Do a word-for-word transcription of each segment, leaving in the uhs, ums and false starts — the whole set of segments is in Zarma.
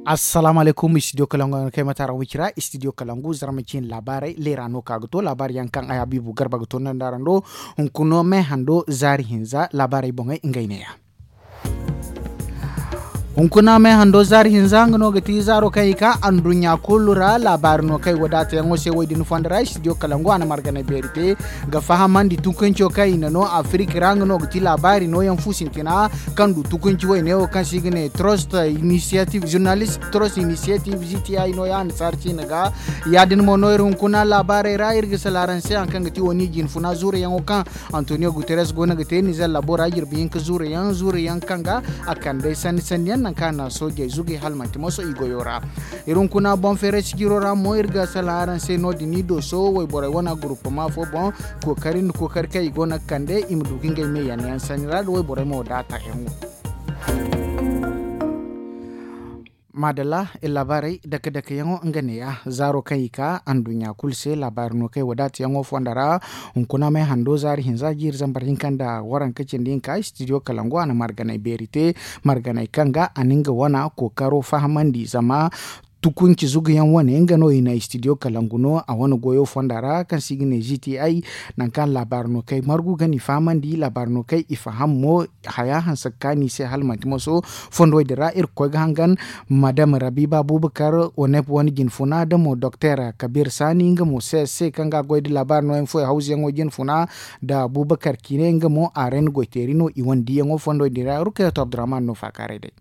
Assalaamu alaykum, studio kalangu yaŋ no kaŋ ay ma taara wicira. Studio kalangu zarma ciine laabaarey leera no ka ga to laabaari yaŋ kaŋ ay habiibu garba ga to nda araŋ do. Hunkuna me hando zaari hinza laabaarey boŋey ngey neeya. Hunkuna me hando zaari hinza nga no ga ti zaaro kaŋ i ka anduɲɲa kulu ra laabaari no kaŋ ay wadaata yaŋo se wo- din fondo ra studio kalangu a na marganay beeri te ga fahamandi tunkunco kaŋ i na no afirik ra nga no ga ti laabaari nooyaŋ fu sintina kaŋ du tukunci wayne wo kaŋ se i ga ne trust initiative journalist trust initiative gti no ya annasaara ciine ga. Ya- din mo no iri hunkuna laabaarey ra iri ga sala araŋ se hari kaŋ ga ti wo ni jinfuna zuurayaŋo kaŋ antonio guterres go no ga te nizer labo ra jirbi hinka zuurayaŋ zuurayaŋ kaŋ ga a kand'ey sanni sanni yaŋ nangu kaŋ a na soojey zugay hala manti moso i goyo ra. Iri hunkuna boŋ feeray sijiro ra mo iri ga sala araŋ se no- din ni dooso wayborey wane guruppama fo boŋ kookari nda kookari kaŋ i go no ga kande i ma du ga ngey me yanayaŋ sanni ra nda wayborey mo daata yaŋo. Maadalla, iri laabaarey dake dake yaŋo nga neeya zaaro kaŋ i ka anduɲɲa kulu se laabaari no kaŋ ay wadaata yaŋo fonda ra. Hunkuna me hando zaari hinza jiiri zambar hinka nda waranka cindi hinka studio kalangu a na marganay beeri te marganay kaŋ ga a na nga wane kookaro fahamandi zama tukunci zugu yaŋ wane nga no i na studio kalangu no a wane goyo fonda ra kaŋ se i ga ne gti nangu kaŋ laabaari no kaŋ ay margu ga ni fahamandi laabaari no kaŋ i faham mo haya hanse ga kaanu i se hala manti moso. Fondo din ra iri ga koy ga hangan madam rabiba bubakar onep wane jinfuna da mo dokter kabir sani nga mo se se kaŋ ga goy da laabaari no yaŋ fo hawzu yaŋo jinfuna da bubakar kine nga mo a ra ni goyteeri no i wane diyaŋo fondo din ra rukayato abdurrahman no faakaaray day.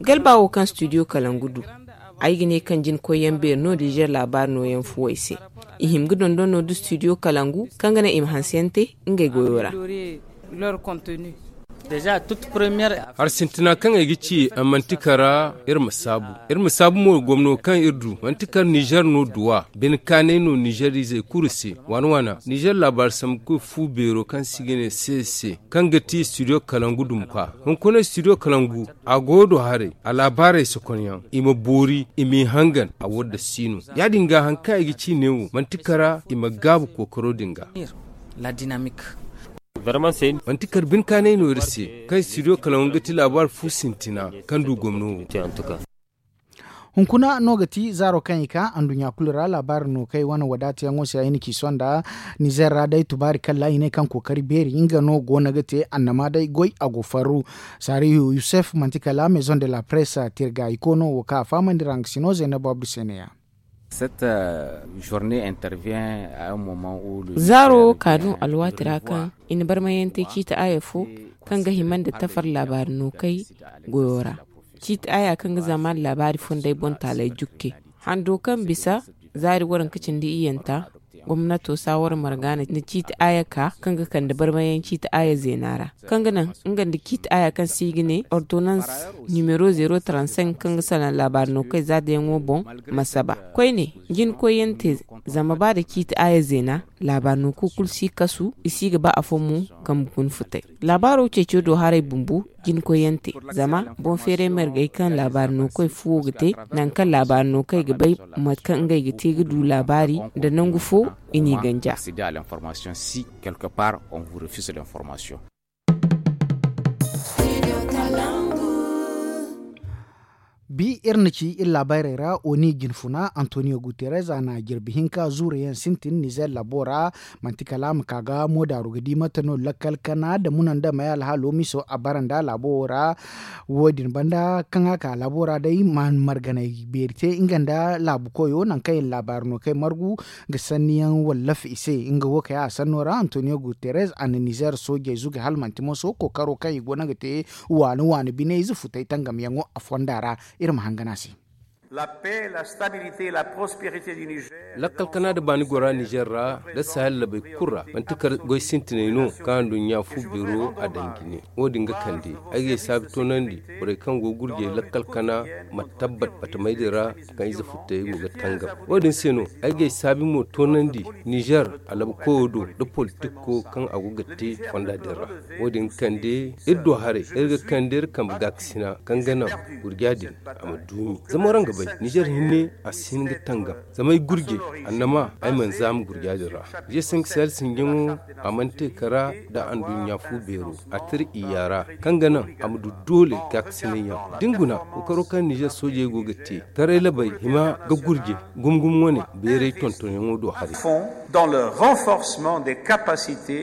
Galba wo kaŋ studio kalangu du ay ga ne kaŋ jina koyyaŋ beeri no nizer laabaari nooyaŋ fuwey se. I hima ga dondon no da studio kalangu kaŋ ga naŋ i ma hanse yaŋ te ngey goyo ra. Hari sintina kaŋ ay ga ci manti kara iri ma saabu iri ma saabu mo gomno kaŋ iri du manti kara nizer no duwa bine kaanay no nizer izey kulu se waana waana nizer laabaari sambu koy fu beero kaŋ se i ga ne se se kaŋ ga ti studio kalangu duma kwa hunkuna studio kalangu a go do haray a laabaarey sokonyaŋ i ma boori i m'i hangan a wadda si no ya- din ga hari kaŋ ay ga ci neewo manti kara i ma gaabu kookaro din ga. Manti kara bine kaanay no iri se kaŋ studio kalangu ga ti laabaari fu sintina kaŋ du gomno wo. Hunkuna no ga ti zaaro kaŋ i ka anduɲɲa kulu ra laabaari no kaŋ ay wane wadaata yaŋo se ay na ci sonda nizer ra day tubaari kalla i ne kaŋ kookari beeri nga no go no ga te annama day goy a go farru. Sarihu yusuf manti kala maison de la presse tirga i ko no wo kaŋ a fahamandi ra nga si no zaynab abdu se ne ya. Zaaro wo ka no alwaati ra kaŋ i na barmayante ciiti aya fo kaŋ ga hima nda tafar laabaari no kay goyo ra. Ciiti aya kaŋ ga zama laabaari fonday boŋ taalay jukke hando kaŋ bisa zaari waranka cindi iyanta gomnato saawara marga na ciiti aya ka kaŋ ga kande barmayaŋ ciiti aya zeena ra kaŋ ga naŋ nga nda ciiti aya kaŋ se i ga ne ordonans nimero zero trente cinq kaŋ ga salaŋ laabaari no kay zaadayaŋo boŋ ma saba koyne jinkoyante zama ba da ciiti aya zeena laabaari no kulu si kasu i si ga ba afo mo kambe guna futay laabaaro ceeco do haray bumbo jinkoyante zama boŋ feeray margey kaŋ laabaari no koy fuwo ga te nangu kaŋ laabaari no kay ga bay mate kaŋ ngey ga te ga du laabaari nda nangu fo i n'i ganja. Bi iri na ci iri laabaarey ra oni jinfuna antonio guterres a na jirbi hinka zuurayaŋ sintin nizer labo ra. Manti kala a ma ka ga moodaaru ga di mate no lakkal kana da munandamey alhaalo miso a bara nda laabo wo ra. Wo- din banda kaŋ a ka laabo ra day marganay beeri te nga nda laabu koyo nangu kaŋ iri laabaari no kay margu ga sanniyaŋ wallafa i se nga wo kay a sanno ra antonio guterres a na nizer soojey zuge hala manti moso kookaro kaŋ i go no ga te waani waani biney ize futay tangamyaŋo a fonda ra. Iri ma hangan a se. Lakkal kana da baani gora nizer ra da sahel labey kulu ra manti kar goy sintiney no kaŋ anduɲɲa fu biro a daŋ jine. Wo- din ga kande ay ga ay saabi toonandi borey kaŋ go gurjey lakkal kana ma tabbat batamey din ra kaŋ ize futtey go ga tangam. Wo- din se no ay ga ay saabi mo toonandi nizer alabakoyo do da politikko kaŋ a go ga te fonda din ra. Wo- din ga kande iri do haray iri ga kande iri kambe gaakasina kaŋ ga naŋ gurja din a ma duumi zama waraŋ ga bay. Nizer hinne a si hin ga tangam zama ay gurje annama ay mana zaama gurja din ra. Nizer sanka sahel sinjaŋo a mana te kara nda anduɲɲa fu beero a tira iyya ra kaŋ ga naŋ a ma du doole gaakasinay yaŋ da ni guna kookaro kaŋ nizer soojey go ga te taray labey hima ga gurje gumo gumo wane beeray tontonyaŋo do haray. Dans le renforcement des capacités.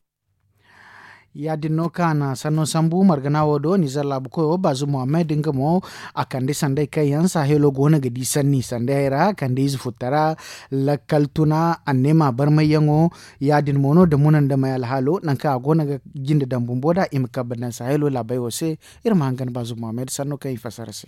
Ya- din no kaŋ a na sanno sambu margana wo do nizer laabu koyo bazu muhammad nga mo a kande sanday kaŋ yaŋ sahelo go no ga di sanni sanday ra kande ize futtara lakkal tuna anneema barmayyaŋo. Ya- din mo no da muna nda may alhaalo nangu kaŋ a go no ga jinde daŋ bumbo nd'a i ma kabba daŋ sahelo laabey wo se. Iri ma hangan bazu muhammad sanno kaŋ i fassara se.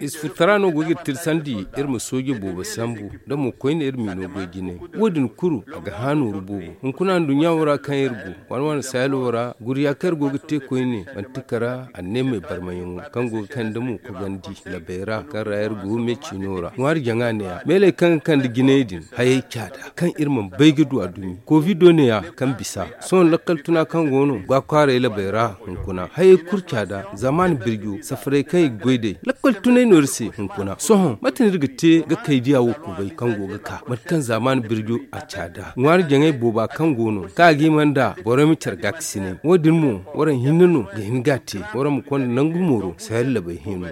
Ize futtara no go ga iri tirsandi iri ma sooje boobo sambu da mo koyne iri m'i no goy jine. Wo- din kulu a ga hã nooru boobo hunkuna nduɲɲa wo ra kaŋ iri go waani waani sahelo ra gurya kaŋ iri go ga te koyne manti kara anneemey barmayaŋo kaŋ go ga kande mo kogandi labey ra kaŋ ra iri go me ciino ra ŋwaari jaŋa ne-ya meeley kaŋ ga kande jinay din hayey caada kaŋ iri mana bay ga du a dumi kovido ne-ya kaŋ bisa sohõ lakkal tuna kaŋ go no ga kwaaray labey ra hunkuna hayey kulu caada zamaani birjo safaray kaŋ i ga goy day lakkal tunay no iri se hunkuna sohõ mate no iri ga te ga kay diya wo kubay kaŋ go ga ka mate kaŋ zamaani birjo a caada ŋwaari jaŋay booba kaŋ go no kaŋ a ga hima nda borey ma care gaakasinay wo- din mo waraŋ hinne no ga hin ga a te waraŋ ma konda nangu mooro sahel labey hino.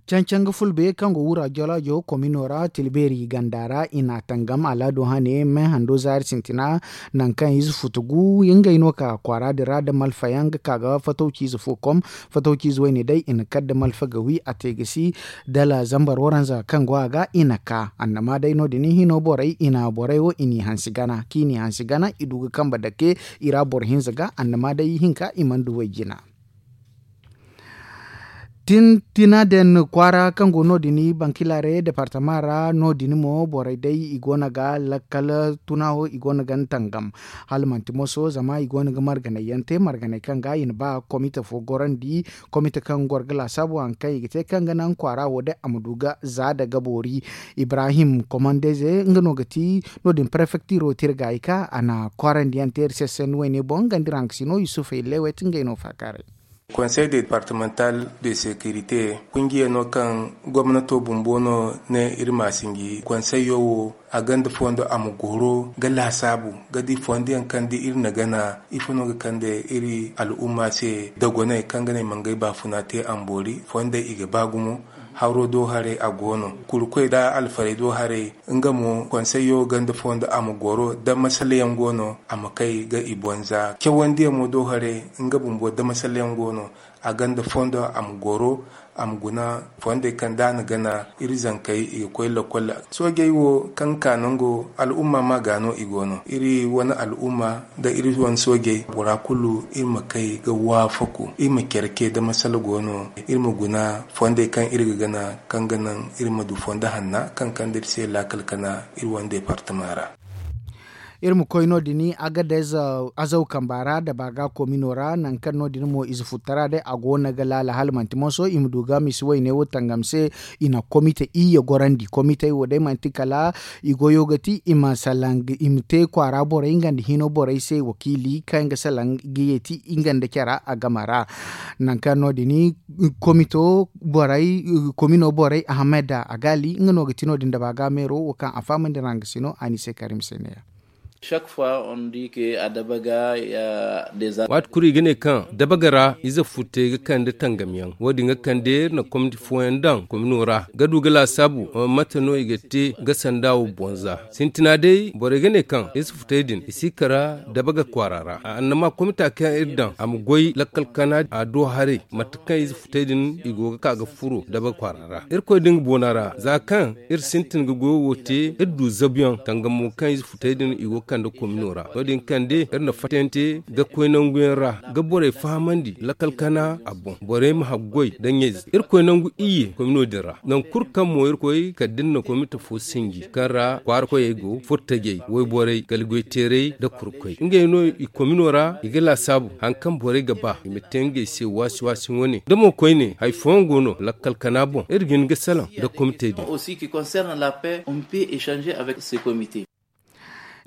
Cancaŋ ga fulbe kaŋ go wura jolaajo komino ra tilbeeri ganda ra i n'a tangam alaado hane me hando zaari sintina. Nangu kaŋ ize futu gu ngey no ka kwaara din ra da malfa yaŋ ga ka ga fatawci ize fo kom fatawci ize wayne day i na kar da malfa ga wi a te ga si dala zambar waranza kaŋ go a ga i na ka annama day no- din hino borey i na borey wo i n'i hansi gana kaŋ i n'i hansi gana i du ga kambe dake i ra boro hinza ga annama day hinka i mana du way jina. Tintina den kwaara kaŋ go no- din bankilare departama ra no- din mo borey day i go no ga lakkal tuna wo i go no ga ni tangam hala manti moso zama i go no ga marganay yaŋ te marganay kaŋ ga i na ba komite fo gorandi komite kaŋ goro ga laasaabu hari kaŋ i ga te kaŋ ga naŋ kwaara wo day a ma du ga za daga boori. Ibrahim komandeze nga no ga ti no- din prefektiro tirgaayi ka a na kwaarandi yaŋ te iri se senni wayne boŋ nga nda iri hankasino yusuf hillewet ngey no faakaaray. Konsey departamental de sekirite kungiya no kaŋ gomnato bumbo no ne iri ma sinji konseyo wo a gonda fondo a ma goro ga laasaabu ga di fondo yaŋ kaŋ da iri na gana ifo no ga kande iri al'umma se dogoney kaŋ ga ne i ma ngey baafuna te amboori fondey i ga ba gumo. Haro do haray a go no kurkoy da alfaray do haray nga mo konseyo gonda fondo a ma goro da masala yaŋ go no a ma kay ga i bonza cawandiyaŋ mo do haray nga bumbo da masala yaŋ go no a gonda fondo a ma goro a ma guna fondey kaŋ da a na gana iri zankey i ga koy lakkol. Soojey wo kaŋ ga ka nango al'umma ma ga no i go no iri wane al'umma nda iri wane soojey bora kulu iri ma kay ga waafaku iri ma care ke da masala go no iri ma guna fondey kaŋ iri ga gana kaŋ ga naŋ iri ma du fondo hanna kaŋ kande iri se laakal kana iri wane departama ra. Iri ma koy no- din agadez azaw kamba ra dabaaga komino ra nangu kaŋ no- din mo ize futtara day a go no ga laala hala manti moso i ma du ga misi wayne wo tangam se. I na komite iyye gorandi komitey wo day manti kala i goyo ga ti i ma salaŋ i ma te kwaara borey nga nda hino borey se wakiili kaŋ ga salaŋ ga yeeti nga nda cara a game ra. Nangu kaŋ no- din komito borey komino borey ahmed agali nga no ga ti no- din dabaaga meero wo kaŋ a fahamandi ra nga se no a ni se karim se ne ya. Waati kulu i ga ne kaŋ dabaga ra ize futtey ga kande tangamyaŋ wo- din ga kande iri na komiti fooyaŋ daŋ komino ra ga du ga laasaabu mate no i ga te ga sanda wo bonza. Sintina day borey ga ne kaŋ ize futtey din i si kara dabaga kwaara ra annama komita kaŋ iri daŋ a ma goy lakkal kana a do haray mate kaŋ ize futtey din i go ga ka ga furo dabaga kwaara ra irkoy da nga boona ra za kaŋ iri sintin ga goyo wo te iri du zabuyaŋ tangamo kaŋ ize futey din i go ga kande komino ra no- din kande iri na fattante ga koy nanguyaŋ ra ga borey fahamandi lakkal kana a boŋ borey ma haggoy da ɲayze iri koy nangu iyye komino din ra nangu kulu kaŋ mo iri koy kala da iri na komite fo sinji kaŋ ra kwaara koyey go furtajey wayborey galgoy teeray da kurkoy ngey no i komino ra i ga laasaabu hari kaŋ borey ga ba i ma te ngey se waasi waasi wane da mo koyne hari fooyaŋ go no lakkal kana boŋ iri ga hin ga salaŋ nda komitey din.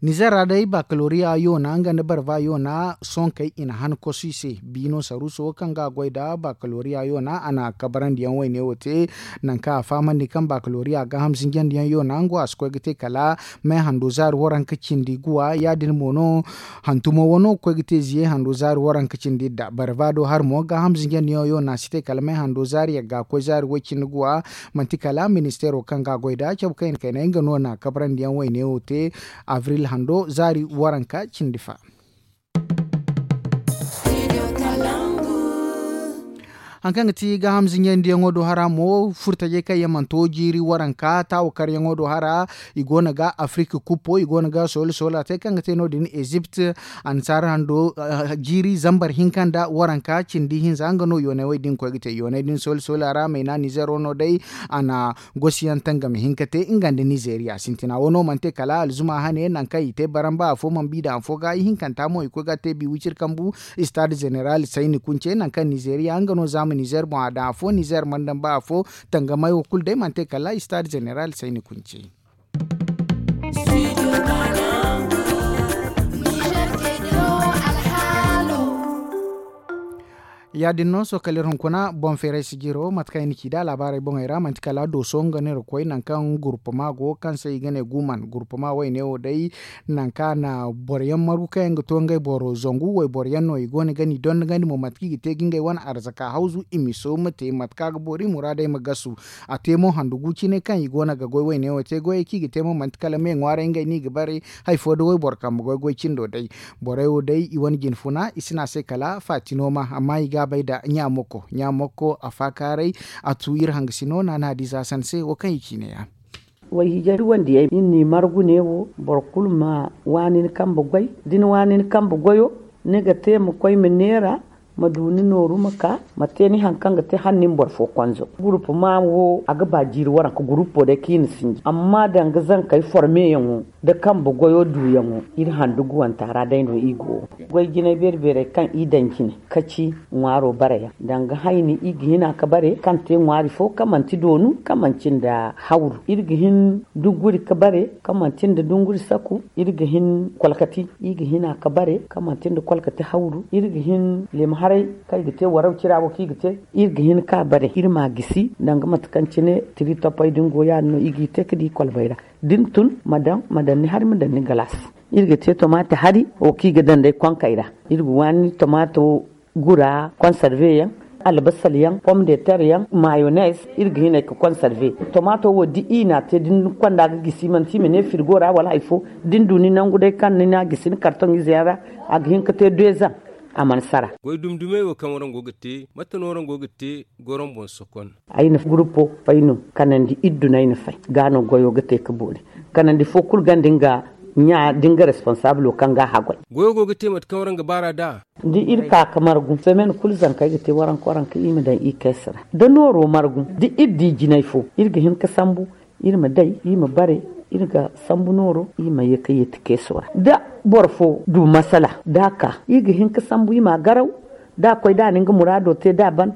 Nizer ra day bakaloriya yoona nga nda barba yoona sonkey i na han kosu i se. Biino saruuso wo kaŋ ga a goy nda bakaloriya yoona a na kabarandiyaŋ wayne wo te. Nangu kaŋ a fahamandi kaŋ bakaloriya gaaham zinjandiyaŋ yoona nga wo a si koy ga te kala me hando zaari waranka cindi guwa ya- din mo no. Hantumo wano ga koy ga te ziye hando zaari waranka cindi idda barba do hari mo gaaham zinjandiyaŋ yoona si te kala me hando zaari yagga koy zaari way- cindi guwa. Manti kala ministeero kaŋ ga a goy nda cabe kayna kayna nga no na kabarandiyaŋ wayne wo te. Abril hando zaari waranka cindi fa. Hari kaŋ ga ti gaaham zinjandiyaŋo do hara mo furtajey kaŋ yaŋ mana to jiiri waranka taawakaryaŋo do hara. I go no ga afirik kuppo i go no ga soola soola te kaŋ ga te no- din ezipt. Annasaara hando jiiri zambar hinka nda waranka cindi hinza nga no yoonay wo- din koy ga te yoonay din soola soola ra mayna nizero no day. A na gosi yaŋ tangam hinka te nga nda nizeeriya sintina wo no mana te kala alzuma hane nangu kaŋ i te baramba afo mana bi daŋ afo ga ihinkanta mo i koy ga a te bi wiciri kambu. Istaad zeneral sayni kunce nangu kaŋ nizeeriya nga no zaama nizeer boŋ a daŋ afo nizeer mana daŋ ba afo. Tangamay wo kulu day mana te kala istaad zeneral sayni kunce. Ya- din no sohõ kala iri hunkuna boŋ feeray sijiro mate kaŋ i na ci nd'a laabaarey boŋey ra manti kala dooso nga no iri ga koy nangu kaŋ gurpama go kaŋ se i ga ne guman gurpama wayne wo day. Nangu kaŋ a na boro yaŋ margu kaŋ yaŋ ga to ngey boro zangu wayboro yaŋ no i go no ga ni dondogandi mo mate kaŋ i ga te ga ngey wane arzaka hawzu i ma sooma te mate kaŋ a ga boori muraadey ma gasu. A te mo handu gu cine kaŋ i go no ga goy wayne wo te goyey kaŋ i ga te mo manti kala me ŋwaaray ngey no i ga bare. Hari fo da wayboro kambe goy goy cindo day. Borey wo day i wane jinfuna i si ne a se kala faati no ma amma i ga a bay nda ɲaamoko ɲaamoko a faakaaray. A tu iri hangasino naana hadiza san se wo kaŋ i ciine ya. Wayhiijay wandiyey iri n'i margu neewo boro kulu ma waani ni kambe goy da ni waani ni kambe goyo. Ni ga te ma koy ma neera ma du ni nooru ma ka ma te ni hari kaŋ ga te hala ni ma boro fo konzo. Gurupama wo a ga ba jiiri waranka gurupo day kaŋ i na sinji amma danga zankey formeyaŋo nda kambe goyo duuyaŋo iri handu guwanta ra day no i go. Goy jinay beeri beerey kaŋ i daŋ jine kaci ŋwaaro bare yaŋ danga hayni i ga hina ga bare kaŋ te ŋwaari fo kaŋ manti doonu kaŋ manti nda hawru iri ga hin dunguri ga bare kaŋ manti nda dunguri saku. Iri ga hin kwalkati i ga hina ga bare kaŋ manti nda kwalkati hawru iri ga hin leemu haray kaŋ i ga te waraw cira wo kaŋ i ga te iri ga hin ga bare iri ma a gisi danga mate kaŋ cine tiri toppey din go ya- din no i g'i te ga di kwalbey ra. Da ni tun ma daŋ ma daŋ ni hari ma daŋ ni galaas. Iri ga te tomaati hari wo kaŋ i ga daŋ day konkey ra. Iri ga waani tomaato gura konsarve yaŋ, albasal yaŋ, pom de ter yaŋ, mayones. Iri ga hinay ga konsarve tomaato wo da i n'a te da ni konda ga gisi manti i ma ne firgo ra wala hari fo. Da ni du ni nangu day kaŋ ni n'a gisi ni kartoŋ ize yaŋ ra a ga hin ga te deezaŋ. A mana sara. Goy dumi dumey wo kaŋ warango ga te mate no warango ga te goron boŋ sokon. Ay na gurupo fay no kanandi iddu no ay na fay ga no goyo ga te ga boori. Kanandi fo kulu ganda nga ɲa da nga responsabulo kaŋ ga a haggoy. Goyo go ga te mate kaŋ warango ga baara nd'a. Da iri ka ga margu semen kulu zanka ay ga te waranka waranka i ma daŋ i keesi ra da nooro margu da iri di jinay fo iri ga hin ga sambu. Iri ma day iri ma bare iri ga sambu nooro iri ma ye ga yeeti keeso ra da boro fo du masala da a ka iri ga hin ga sambu iri ma a garaw. Da a koy da a na nga muraado te da a ban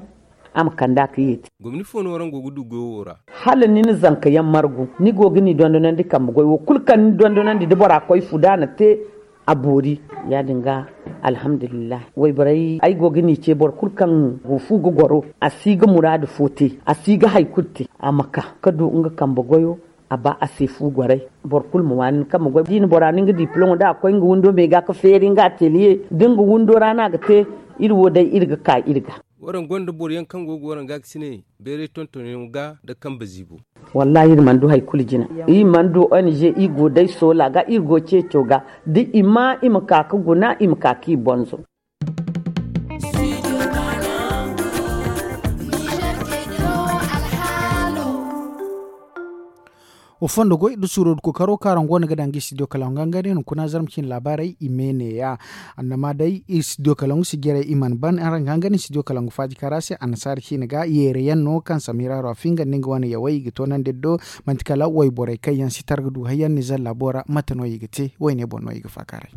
a ma kand'a ga yeeti. Gomni fo no warango ga du goyo wo ra. Hala ni na zanka yaŋ margu ni go ga ni dondonandi kambe goy wo kulu kaŋ ni dondonandi da bora koy fu da a na te a boori. Ya- din ga alhamdulillahi wayborey ay go ga ni ce boro kulu kaŋ go fu ga goro a si ga muraadu fo te a si ga hari kulu te a ma ka ga du nga kambe goyo. A ba a se fu goray boro kulu ma waani ni kambe goy da i na bora no nga diplom da a koy nga windo me ga ga feeri nga ateliye da nga windo ra no a ga te. Iri wo day iri ga ka iri ga. Waraŋ gonda boro yaŋ kaŋ go ga waraŋ ga ga si ne bayray tontonyaŋo ga nda kambe ziibo. Wallahi iri mana du hari kulu jina. Iri mana du ong iri go day soola ga iri go ceeco ga da i ma i ma ka ga guna i ma ka ga i bonzo. Wa fondo goy da suuro da kookaro kaŋ araŋ go no ga daŋ ga studio kalaŋ gangare hunkuna zarma ciine laabaarey i me neeya. Annama day studio kalaŋ si jare i mana ban araŋ ga hangare studio kalaŋ faaji kaara se annasaara ciine ga yeere yaŋ no kaŋ samira ra finga nda nga wane yawey i ga toonandi iri do. Manti kala wayborey kaŋ yaŋ si targa du hayyaŋ nizer laabo ra mate no i ga te wayne boŋ no i ga faakaaray.